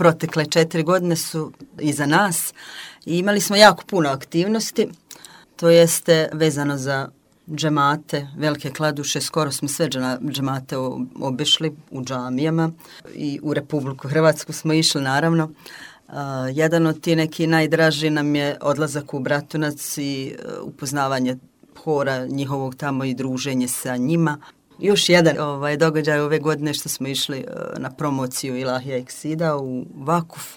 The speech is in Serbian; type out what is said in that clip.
protekle 4 godine su iza nas i imali smo jako puno aktivnosti, to jeste vezano za džemate, Velike Kladuše, skoro smo sve džemate obišli u džamijama i u Republiku Hrvatsku smo išli naravno. Jedan od ti neki najdraži nam je odlazak u Bratunac i upoznavanje hora njihovog tamo i druženje sa njima. Još jedan događaj ove godine što smo išli na promociju Ilahija Eksida u Vakuf.